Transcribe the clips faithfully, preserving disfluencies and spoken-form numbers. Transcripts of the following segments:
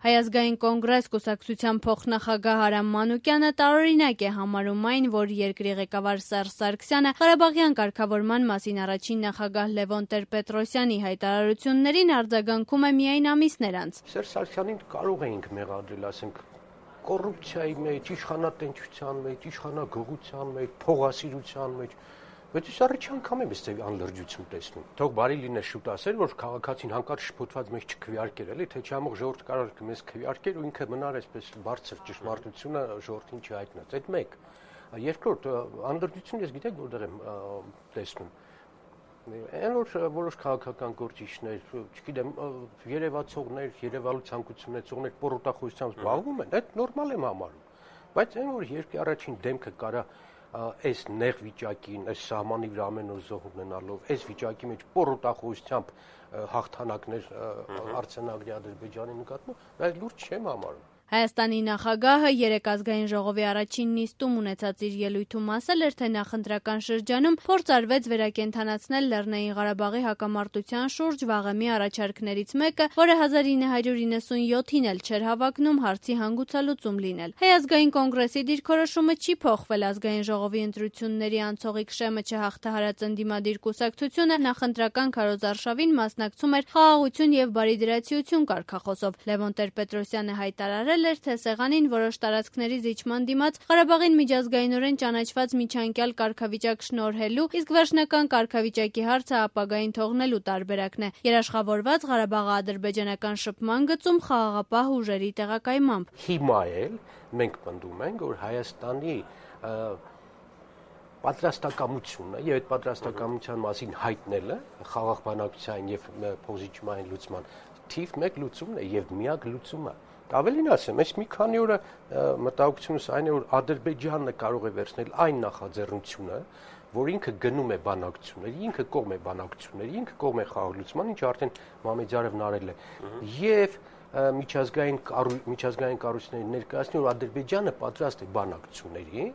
Հայազգային կոնգրես կուսակցության փոխնախագահ Արամ Մանուկյանը տարօրինակ է համարում այն, որ երկրի ղեկավար Սերժ Սարգսյանը Ղարաբաղյան կարգավորման մասին առաջին նախագահ Լևոն Տեր-Պետրոսյանի հայտարարություններին արձագանքում է միայն ամիսներ անց։ Սերժ Սարգսյանին կարող էինք մեղադրել, ասենք, կոռուպցիայի մեջ, իշխանատենչության մեջ, իշխանագողության մեջ, փողասիրության մեջ, բայց ես առաջին անգամ եմ այստեղ անլրջություն տեսնում։ Թող բարի լիներ շուտ ասել, որ քաղաքացին հանկարծ շփոթված մեզ չքվեարկեր, էլի, թե չամող ժողովուրդ կարող մեզ քվեարկեր ու ինքը մնար այսպես բարձր ճշմարտությունը ժողովրդին չհայտնած։ Այդ մեկ։ Երկրորդ, անլրջություն ես գիտեք որտեղ եմ տեսնում։ Այն որ որոշ քաղաքական գործիչներ, չգիտեմ, երևացողներ, երևալու ցանկություն ունեցողներ պոռոտախոսությամբ զբաղվում են, այդ նորմալ եմ համարում։ Բայց այն որ երկրի առաջին դեմքը կարա այս նեղ վիճակին, այս սահմանի վրա ամեն օր զոհ ունենալով, այս վիճակի մեջ պոռոտախոսությամբ հաղթանակներ արձանագրի Ադրբեջանի նկատմամբ, այդ լուրջ չեմ համարում։ Հայաստանի նախագահը երեկ ազգային ժողովի առաջին նիստում ունեցած իր ելույթում ասել էր, թե նախընտրական շրջանում փորձ արվեց վերակենդանացնել Լեռնային Ղարաբաղի հակամարտության շուրջ վաղեմի առաջարկներից մեկը, որը հազար ինը հարյուր իննսունյոթին էլ չէր հավակնում հարցի հանգուցալուծում լինել։ Հայազգային կոնգրեսի դիրքորոշումը չի փոխվել, ազգային ժողովի ընտրությունների անցողիկ շեմը չհաղթահարած ընդդիմադիր կուսակցությունը նախընտրական քարոզարշավին մասնակցում էր խաղաղություն եւ բարիդրացիություն կարգախոսով։ Լևոն Տեր-Պետրոսյանը հայտարարել էր, թե սեղանին որոշ տարածքների զիջման դիմաց Ղարաբաղին միջազգայինորեն ճանաչված միջանկյալ կարգավիճակ շնորհելու, իսկ վերջնական կարգավիճակի հարցը ապագային թողնելու տարբերակն է։ Երաշխավորված Ղարաբաղը ադրբեջանական շփման գծում խաղաղապահ ուժերի տեղակայմամբ։ Հիմա էլ մենք պնդում ենք, որ Հայաստանի պատրաստակամությունը եւ այդ պատրաստակամության մասին հայտնելը խաղաղ բանակցային եւ փոխզիջումային լուծման թիվ մեկ լուծումն է եւ միակ լուծումը։ Ավելին ասեմ, այս մի քանի օրը մտահոգությունս այն է, որ Ադրբեջանը կարող է վերցնել այն նախաձեռնությունը, որ ինքը գնում է բանակցությունների, ինքը կողմ է բանակցությունների, ինքը կողմ է խաղաղ լուծման, ինչը արդեն Մամեդյարովն արել է, եւ միջազգային միջազգային կառույցների ներկայացնել, որ Ադրբեջանը պատրաստ է բանակցությունների,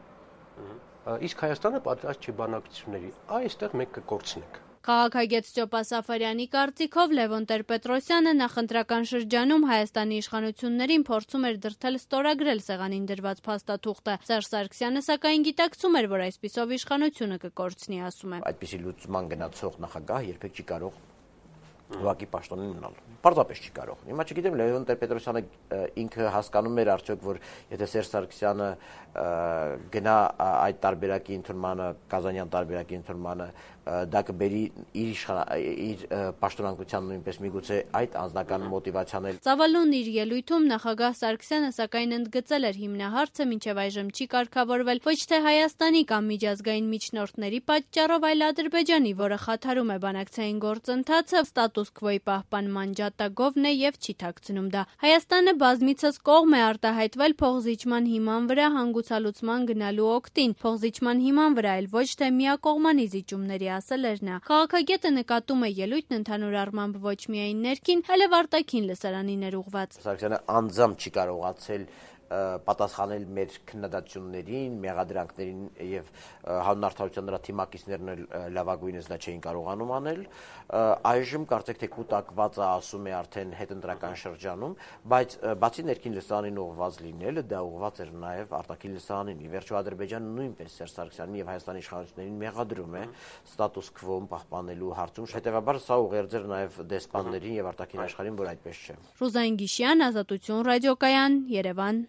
իսկ Հայաստանը պատրաստ չէ բանակցությունների։ Այստեղ մենք կկորցնենք։ Քաղաքագետ Ստյոպա Սաֆարյանի կարծիքով Լևոն Տեր-Պետրոսյանը նախընտրական շրջանում Հայաստանի իշխանություններին փորձում էր դրդել ստորագրել սեղանին դրված փաստաթուղթը։ Սերժ Սարգսյանը սակայն գիտակցում էր, որ այսպիսով իշխանությունը կկորցնի, ասում է։ Այդպիսի լուծման գնացող նախագահ երբեք չի կարող ուղղակի պաշտոնին մնալ։ Պարզապես չի կարող։ Հիմա չգիտեմ Լևոն Տեր-Պետրոսյանը ինքը հասկանում էր արդյոք, որ եթե Սերժ Սարգսյանը գնա այդ տարբերակի ընդունմանը, Կազանյան տարբերակի ընդունմանը, դա կբերի իր իր պաշտոնանկության նույնպես միգուցե այդ անձնական մոտիվացիան էլ։ Ծավալուն իր ելույթում նախագահ Սարգսյանը սակայն ընդգծել էր հիմնահարցը մինչև այժմ չի կարգավորվել ոչ թե Հայաստանի կամ միջազգային միջնորդների պատճառով, այլ Ադրբեջանի, որը խաթարում է բանակցային գործընթացը, ստատուս քվոյի պահպանման ջատագովն է եւ չի թաքցնում դա։ Հայաստանը բազմիցս կողմ է արտահայտվել փոխզիջման հիման վրա հանգուցալուծման գնալու օգտին, փոխզիջման հիման վրա էլ ոչ թե միակողմանի զիջումների, ասել էր նա։ Քաղաքագետը նկատում է ելույթն ընդհանուր առմամբ ոչ միայն ներքին, այլև արտաքին լսարանին էր ուղղված։ Սարգսյանը անձամբ չի կարողացել պատասխանել մեր քննադատություններին, մեղադրանքներին եւ հանուն արդարության նրա թիմակիցներն էլ լավագույնս դա չէին կարողանում անել։ Այժմ կարծեք թե կուտակվածը ասում է արդեն հետընտրական շրջանում, բայց բացի ներքին լսարանին ուղղված լինելը, դա ուղղված էր նաեւ արտաքին լսարանին։ Ի վերջո Ադրբեջանը նույնպես Սերժ Սարգսյանին եւ Հայաստանի իշխանություններին մեղադրում է ստատուս քվոն պահպանելու հարցում։ Հետեւաբար սա ուղերձ էր նաեւ դեսպաններին եւ արտաքին աշխարհին, որ այդպես չէ։ Ռուզայն Գիշյան, Ազատություն ռադիոկայան, Երևան։